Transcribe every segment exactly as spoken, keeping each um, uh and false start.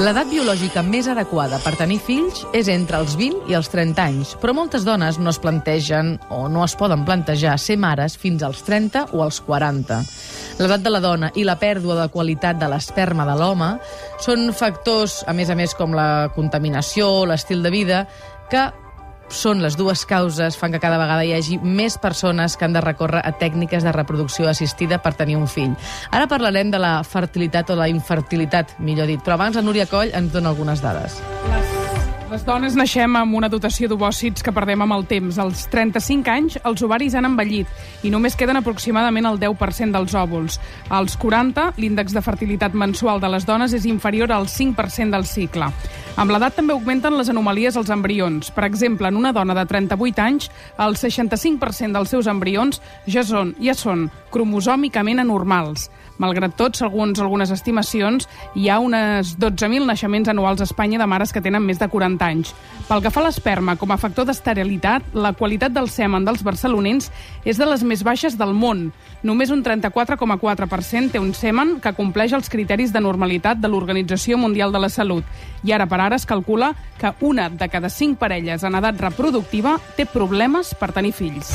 L'edat biològica més adequada per tenir fills és entre els vint i els trenta anys, però moltes dones no es plantegen o no es poden plantejar ser mares fins als trenta o als quaranta. L'edat de la dona i la pèrdua de qualitat de l'esperma de l'home són factors, a més a més, com la contaminació, l'estil de vida, que són les dues causes, fan que cada vegada hi hagi més persones que han de recórrer a tècniques de reproducció assistida per tenir un fill. Ara parlarem de la fertilitat o la infertilitat, millor dit, però abans la Núria Coll ens dona algunes dades. Les dones naixem amb una dotació d'ovòcits que perdem amb el temps. Als trenta-cinc anys, els ovaris han envellit i només queden aproximadament el deu per cent dels òvuls. Als quaranta, l'índex de fertilitat mensual de les dones és inferior al cinc per cent del cicle. Amb l'edat també augmenten les anomalies als embrions. Per exemple, en una dona de trenta-vuit anys, el seixanta-cinc per cent dels seus embrions ja són, ja són cromosòmicament anormals. Malgrat tot, segons algunes estimacions, hi ha unes dotze mil naixements anuals a Espanya de mares que tenen més de quaranta anys. Pel que fa a l'esperma, com a factor d'esterilitat, la qualitat del semen dels barcelonins és de les més baixes del món. Només un trenta-quatre coma quatre per cent té un semen que compleix els criteris de normalitat de l'Organització Mundial de la Salut. I ara per ara es calcula que una de cada cinc parelles en edat reproductiva té problemes per tenir fills.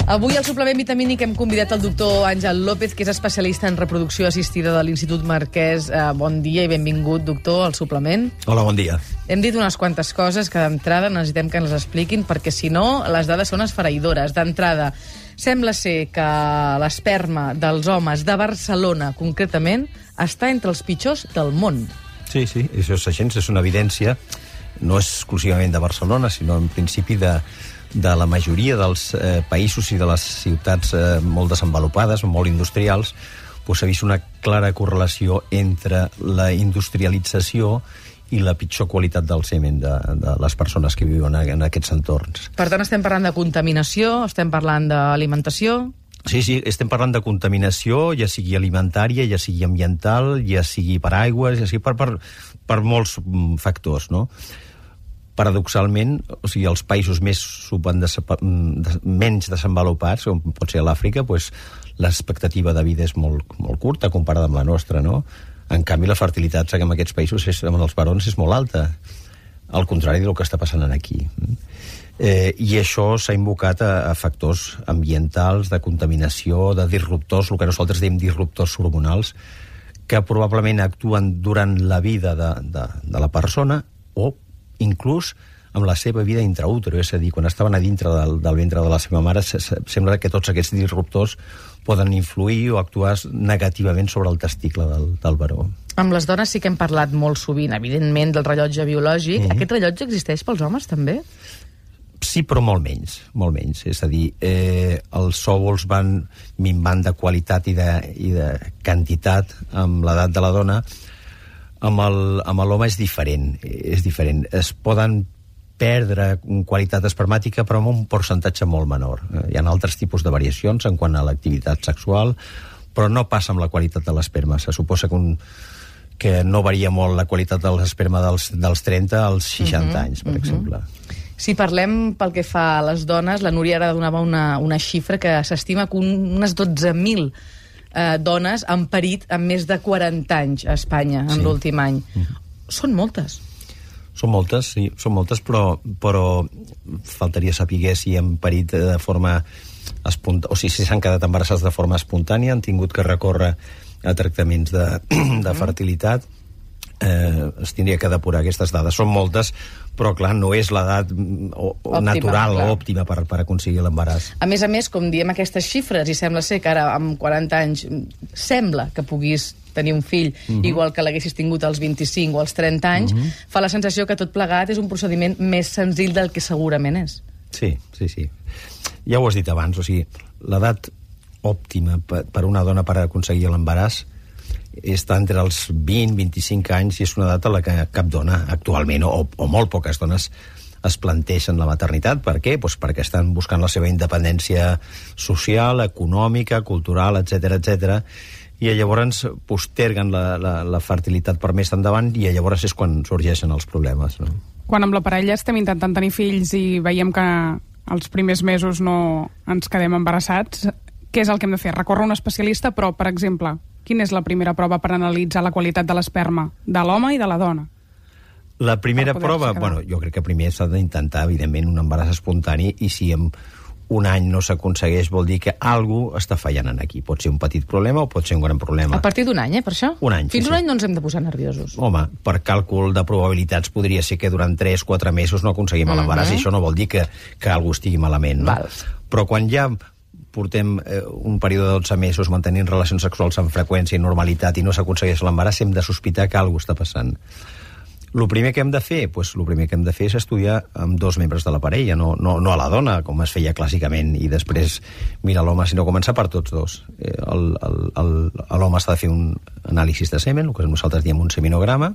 Avui al suplement vitamínic hem convidat el doctor Àngel López, que és especialista en reproducció assistida de l'Institut Marquès. Eh, bon dia i benvingut, doctor, al suplement. Hola, bon dia. Hem dit unes quantes coses que d'entrada necessitem que ens expliquin, perquè si no, les dades són esfereïdores. D'entrada, sembla ser que l'esperma dels homes de Barcelona, concretament, està entre els pitjors del món. Sí, sí, això és així, és una evidència, no exclusivament de Barcelona, sinó en principi de... de la majoria dels eh, països i de les ciutats eh, molt desenvolupades, molt industrials, doncs s'ha vist una clara correlació entre la industrialització i la pitjor qualitat del semen de, de les persones que viuen en aquests entorns. Per tant, estem parlant de contaminació, estem parlant d'alimentació... Sí, sí, estem parlant de contaminació, ja sigui alimentària, ja sigui ambiental, ja sigui per aigües, ja sigui per, per, per molts factors, no? Paradoxalment, o sigui, els països més menys desenvolupats, com pot ser l'Àfrica, doncs, l'expectativa de vida és molt, molt curta comparada amb la nostra, no? En canvi, la fertilitat en aquests països, és, amb els barons, és molt alta, al contrari del que està passant aquí. Eh, I això s'ha invocat a, a factors ambientals, de contaminació, de disruptors, el que nosaltres diem disruptors hormonals, que probablement actuen durant la vida de, de, de la persona o inclús amb la seva vida intraútero, és a dir, quan estaven a dintre del, del ventre de la seva mare, se, se, sembla que tots aquests disruptors poden influir o actuar negativament sobre el testicle del, del baró. Amb les dones sí que hem parlat molt sovint, evidentment, del rellotge biològic. Mm-hmm. Aquest rellotge existeix pels homes, també? Sí, però molt menys, molt menys. És a dir, eh, els òvuls van minvant de qualitat i de, i de quantitat amb l'edat de la dona. Amb l'home és diferent, és diferent. Es poden perdre qualitat espermàtica, però amb un percentatge molt menor. Hi ha altres tipus de variacions en quant a l'activitat sexual, però no passa amb la qualitat de l'esperma. Se suposa que, un, que no varia molt la qualitat de l'esperma dels, dels trenta als seixanta uh-huh, anys, per uh-huh. exemple. Si parlem pel que fa a les dones, la Núria ara donava una, una xifra que s'estima que un, unes dotze mil Eh, dones han parit amb més de quaranta anys a Espanya en sí. l'últim any. Mm-hmm. Són moltes. Són moltes, sí, són moltes, però, però faltaria saber si han parit de forma espontània, o sigui, si s'han quedat embarassats de forma espontània, han tingut que recórrer a tractaments de, de fertilitat. Eh, es tindria que depurar aquestes dades. Són moltes, però clar, no és l'edat natural o òptima per, per aconseguir l'embaràs. A més a més, com diem aquestes xifres, i sembla ser que ara amb quaranta anys sembla que puguis tenir un fill, uh-huh. igual que l'haguessis tingut als vint-i-cinc o als trenta anys, uh-huh. fa la sensació que tot plegat és un procediment més senzill del que segurament és. Sí, sí, sí. Ja ho has dit abans, o sigui, l'edat òptima per una dona per aconseguir l'embaràs està entre els vint i vint-i-cinc anys i és una edat a la que cap dona actualment, o, o molt poques dones, es planteixen la maternitat. Per què? Pues perquè estan buscant la seva independència social, econòmica, cultural, etcètera, etcètera, i llavors posterguen la, la, la fertilitat per més endavant i llavors és quan sorgeixen els problemes, no? Quan amb la parella estem intentant tenir fills i veiem que els primers mesos no ens quedem embarassats, què és el que hem de fer? Recórrer a un especialista, però, per exemple, quina és la primera prova per analitzar la qualitat de l'esperma de l'home i de la dona? La primera prova, bueno, jo crec que primer s'ha d'intentar, evidentment, un embaràs espontani, i si en un any no s'aconsegueix vol dir que algú està fallant en aquí. Pot ser un petit problema o pot ser un gran problema. A partir d'un any, eh, per això? Un any, Fins sí, un sí. any no ens hem de posar nerviosos. Home, per càlcul de probabilitats podria ser que durant tres o quatre mesos no aconseguim Mhm. l'embaràs, i això no vol dir que, que algú estigui malament, no? Val. Però quan ja portem eh, un període de dotze mesos mantenint relacions sexuals amb freqüència i normalitat i no s'aconsegueix l'embaràs, hem de sospitar que alguna cosa està passant. El primer que hem de fer, pues, el primer que hem de fer és estudiar amb dos membres de la parella, no, no, no a la dona, com es feia clàssicament, i després mira l'home, sinó començar per tots dos. Eh, el, el, el, l'home s'ha de fer un anàlisi de semen, el que nosaltres diem un seminograma,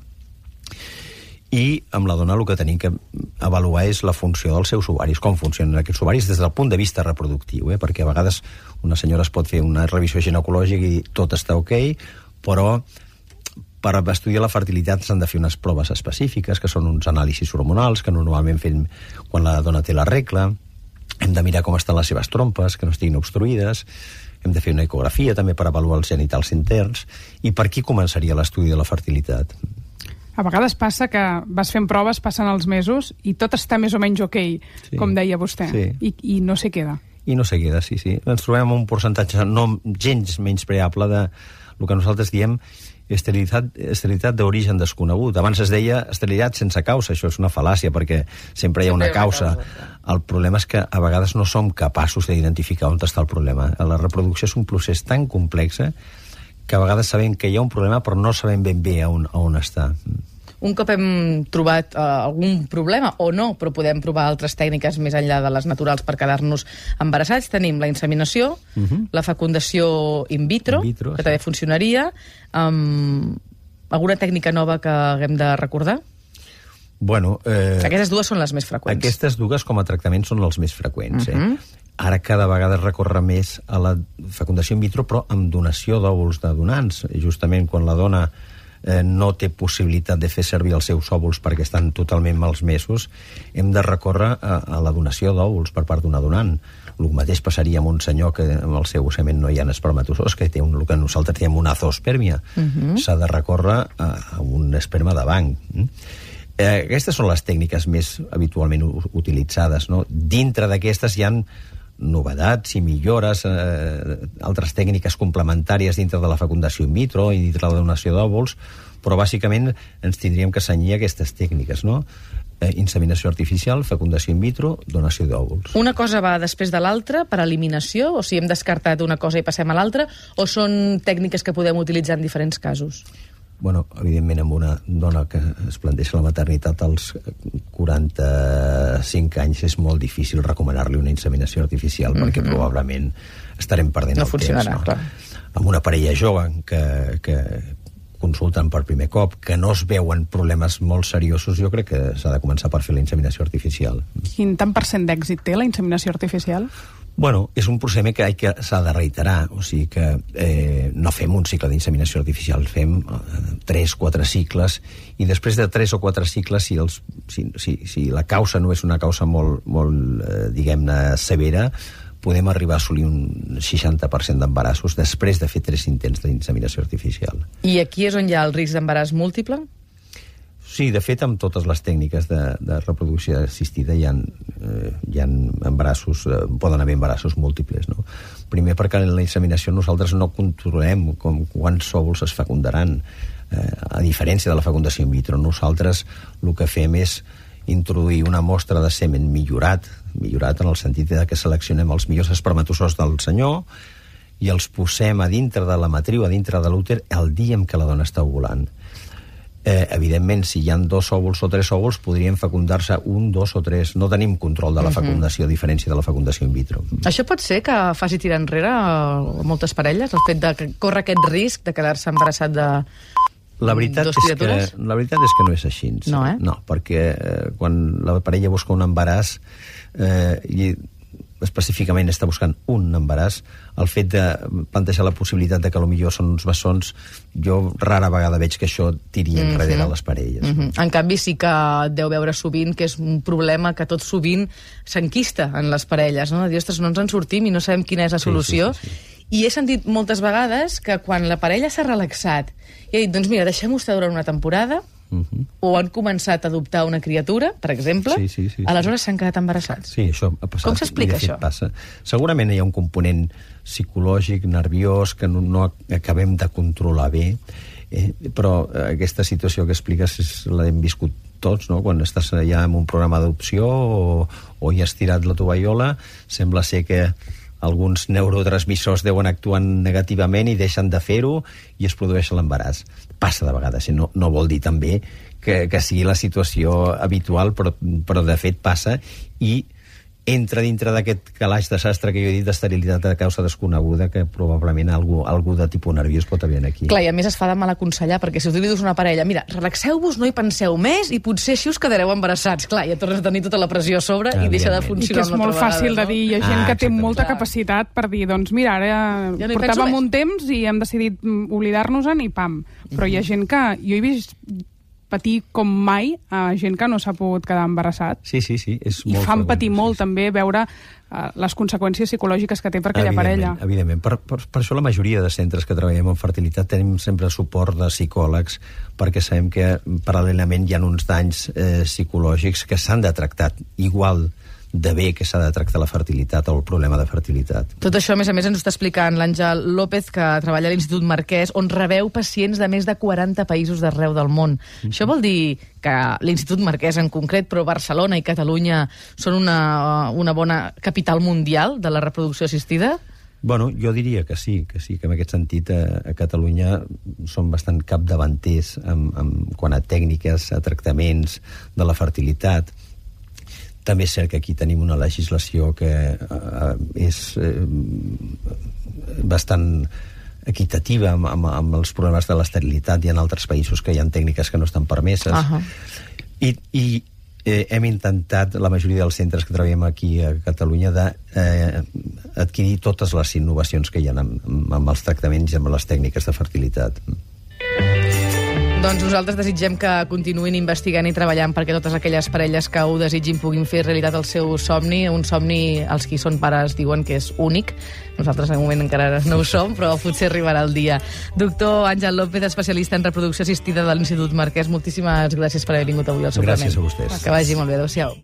i amb la dona el que tenim que avaluar és la funció dels seus ovaris, com funcionen aquests ovaris des del punt de vista reproductiu, eh? Perquè a vegades una senyora es pot fer una revisió ginecològica i tot està ok, però per estudiar la fertilitat s'han de fer unes proves específiques, que són uns anàlisis hormonals, que normalment fem quan la dona té la regla. Hem de mirar com estan les seves trompes, que no estiguin obstruïdes. Hem de fer una ecografia també per avaluar els genitals interns. I per aquí començaria l'estudi de la fertilitat. A vegades passa que vas fent proves, passen els mesos, i tot està més o menys ok, Sí. com deia vostè, Sí. I, i no se queda. I no se queda, sí, sí. Ens trobem amb un percentatge no gens menyspreable de el que nosaltres diem esterilitat, esterilitat d'origen desconegut. Abans es deia esterilitat sense causa, això és una fal·làcia, perquè sempre hi ha una causa. El problema és que a vegades no som capaços d'identificar on està el problema. La reproducció és un procés tan complex que a vegades sabem que hi ha un problema, però no sabem ben bé on, on està. Un cop hem trobat uh, algun problema, o no, però podem provar altres tècniques més enllà de les naturals per quedar-nos embarassats, tenim la inseminació, uh-huh. la fecundació in vitro, In vitro, que sí. també funcionaria. Um, alguna tècnica nova que haguem de recordar? Bueno, eh, Aquestes dues són les més freqüents. Aquestes dues com a tractament són els més freqüents. Uh-huh. eh? Ara cada vegada es recorre més a la fecundació in vitro, però amb donació d'òvuls de donants. Justament quan la dona eh, no té possibilitat de fer servir els seus òvuls perquè estan totalment malmesos, hem de recórrer a, a la donació d'òvuls per part d'una donant. El mateix passaria amb un senyor que amb el seu semen no hi ha espermatozous, que té un, el que nosaltres diem una zoospermia. Uh-huh. S'ha de recórrer a, a un esperma de banc. Eh, aquestes són les tècniques més habitualment utilitzades, no? Dintre d'aquestes hi ha novedats i millores, eh, altres tècniques complementàries dintre de la fecundació in vitro i dintre de la donació d'òvuls, però bàsicament ens tindríem que cenyir aquestes tècniques, no? Eh, inseminació artificial, fecundació in vitro, donació d'òvuls. Una cosa va després de l'altra per eliminació, o si hem descartat una cosa i passem a l'altra, o són tècniques que podem utilitzar en diferents casos? Bueno, evidentment, amb una dona que es planteja la maternitat als quaranta-cinc anys és molt difícil recomanar-li una inseminació artificial, mm-hmm. perquè probablement estarem perdent no el funcionarà, temps. No? Clar. Amb una parella jove que, que consulten per primer cop, que no es veuen problemes molt seriosos, jo crec que s'ha de començar per fer la inseminació artificial. Quin tant per cent d'èxit té la inseminació artificial? Bueno, és un procediment que, que s'ha de reiterar, o sigui que eh, no fem un cicle d'inseminació artificial, fem eh, tres, quatre cicles, i després de tres o quatre cicles, si, els, si, si, si la causa no és una causa molt, molt eh, diguem-ne, severa, podem arribar a assolir un seixanta per cent d'embarassos després de fer tres intents d'inseminació artificial. I aquí és on hi ha el risc d'embaràs múltiple? Sí, de fet, amb totes les tècniques de, de reproducció assistida hi ha, eh, hi ha embarassos, eh, poden haver embarassos múltiples, no? Primer perquè en la inseminació nosaltres no controlem com, quants òvuls es fecundaran, eh, a diferència de la fecundació in vitro. Nosaltres el que fem és introduir una mostra de semen millorat, millorat en el sentit de que seleccionem els millors espermatozous del senyor i els posem a dintre de la matriu, a dintre de l'úter, el dia en què la dona està ovulant. Eh, evidentment, si hi ha dos òvuls o tres òvuls, podrien fecundar-se un, dos o tres. No tenim control de la fecundació, a diferència de la fecundació in vitro. Això pot ser que faci tirar enrere a moltes parelles, el fet de córrer aquest risc de quedar-se embarassat de La veritat, dos és que, criatures? la veritat és que no és així. No, eh? No, perquè eh, quan la parella busca un embaràs, eh, i específicament està buscant un embaràs, el fet de plantejar la possibilitat de que potser són uns bessons, jo rara vegada veig que això tiri enrere mm-hmm. a les parelles. Mm-hmm. En canvi, sí que deu veure sovint que és un problema que tot sovint s'enquista en les parelles, no? De dir, ostres, no ens en sortim i no sabem quina és la solució. Sí, sí, sí, sí. I he sentit moltes vegades que quan la parella s'ha relaxat i ha dit, doncs mira, deixem-ho estar durant una temporada, Uh-huh. o han començat a adoptar una criatura, per exemple, sí, sí, sí, aleshores s'han quedat embarassats. Sí, això ha passat. Com s'explica això? Passa. Segurament hi ha un component psicològic, nerviós, que no, no acabem de controlar bé, eh, però aquesta situació que expliques l'hem viscut tots, no? Quan estàs ja en un programa d'adopció o, o hi has tirat la tovallola, sembla ser que alguns neurotransmissors deuen actuar negativament i deixen de fer-ho i es produeix l'embaràs. Passa de vegades, no, no vol dir també que, que sigui la situació habitual, però, però de fet passa i entra dintre d'aquest calaix de sastre que jo he dit d'esterilitat de causa desconeguda, que probablement algú, algú de tipus nerviós pot haver aquí. Clar, i a més es fa de mal aconsellar, perquè si us dius una parella, mira, relaxeu-vos, no hi penseu més i potser així us quedareu embarassats. Clar, ja tornes a tenir tota la pressió a sobre ah, i deixa de funcionar. I que és molt fàcil vegada, no? de dir, hi ha gent ah, que té molta clar. capacitat per dir, doncs mira, ara ja no portàvem un temps i hem decidit oblidar-nos-en i pam. Però mm-hmm. hi ha gent que... Jo he vist patir com mai a gent que no s'ha pogut quedar embarassat. Sí, sí, sí. És I molt fan patir sí, molt sí. també veure uh, les conseqüències psicològiques que té per aquella parella. Evidentment. Per, per, per això la majoria de centres que treballem en fertilitat tenim sempre suport de psicòlegs, perquè sabem que paral·lelament hi ha uns danys eh, psicològics que s'han de tractar igual de bé que s'ha de tractar la fertilitat o el problema de fertilitat. Tot això, a més a més, ens ho està explicant l'Àngel López, que treballa a l'Institut Marquès, on rebeu pacients de més de quaranta països d'arreu del món. Mm-hmm. Això vol dir que l'Institut Marquès en concret, però Barcelona i Catalunya són una, una bona capital mundial de la reproducció assistida? Bueno, jo diria que sí, que sí, que en aquest sentit a, a Catalunya som bastant capdavanters amb, amb, quant a tècniques, a tractaments de la fertilitat. També és cert que aquí tenim una legislació que eh, és eh, bastant equitativa amb, amb, amb els problemes de l'esterilitat. Hi ha altres països que hi ha tècniques que no estan permeses. Uh-huh. I, i eh, hem intentat, la majoria dels centres que treballem aquí a Catalunya, de eh, adquirir totes les innovacions que hi ha amb, amb els tractaments i amb les tècniques de fertilitat. Doncs nosaltres desitgem que continuïn investigant i treballant perquè totes aquelles parelles que ho desitgin puguin fer realitat el seu somni, un somni, els qui són pares diuen que és únic. Nosaltres en un moment encara no ho som, però potser arribarà el dia. Doctor Àngel López, especialista en reproducció assistida de l'Institut Marquès, moltíssimes gràcies per haver vingut avui al suplement. Gràcies a vostès. Que vagi molt bé, adéu-siau.